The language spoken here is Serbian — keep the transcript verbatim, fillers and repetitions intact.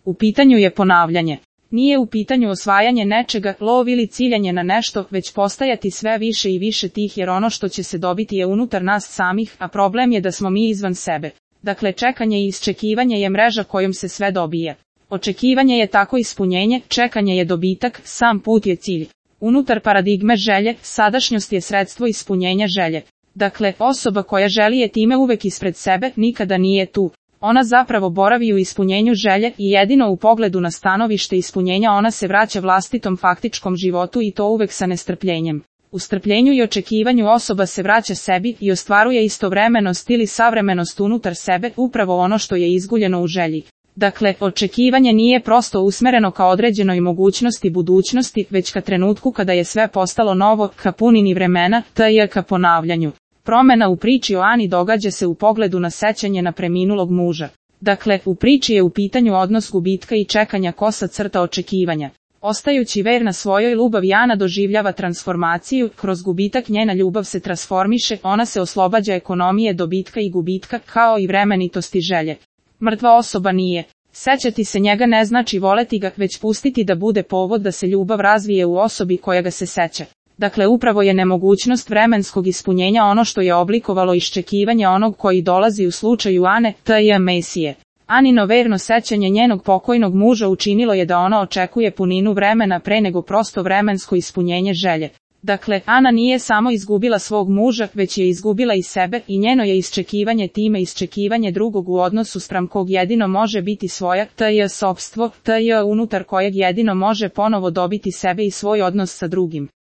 U pitanju je ponavljanje. Nije u pitanju osvajanje nečega, lov ili ciljanje na nešto, već postajati sve više i više tih, jer ono što će se dobiti je unutar nas samih, a problem je da smo mi izvan sebe. Dakle, čekanje i isčekivanje je mreža kojom se sve dobije. Očekivanje je tako ispunjenje, čekanje je dobitak, sam put je cilj. Unutar paradigme želje, sadašnjost je sredstvo ispunjenja želje. Dakle, osoba koja želi je time uvek ispred sebe, nikada nije tu. Ona zapravo boravi u ispunjenju želje i jedino u pogledu na stanovište ispunjenja ona se vraća vlastitom faktičkom životu i to uvek sa nestrpljenjem. U strpljenju i očekivanju osoba se vraća sebi i ostvaruje istovremenost ili savremenost unutar sebe, upravo ono što je izguljeno u želji. Dakle, očekivanje nije prosto usmereno ka određenoj mogućnosti budućnosti, već ka trenutku kada je sve postalo novo, ka punini vremena, tj. ka ponavljanju. Promena u priči o Ani događa se u pogledu na sećanje na preminulog muža. Dakle, u priči je u pitanju odnos gubitka i čekanja kosa crta očekivanja. Ostajući verna svojoj ljubavi, Ana doživljava transformaciju, kroz gubitak njena ljubav se transformiše, ona se oslobađa ekonomije dobitka i gubitka, kao i vremenitosti želje. Mrtva osoba nije. Sećati se njega ne znači voleti ga, već pustiti da bude povod da se ljubav razvije u osobi koja ga se seća. Dakle, upravo je nemogućnost vremenskog ispunjenja ono što je oblikovalo iščekivanje onog koji dolazi u slučaju Ane, tj. Mesije. Anino verno sećanje njenog pokojnog muža učinilo je da ona očekuje puninu vremena pre nego prosto vremensko ispunjenje želje. Dakle, Ana nije samo izgubila svog muža, već je izgubila i sebe i njeno je iščekivanje time iščekivanje drugog u odnosu spram kog jedino može biti svoja, tj. sopstvo, tj. unutar kojeg jedino može ponovo dobiti sebe i svoj odnos sa drugim.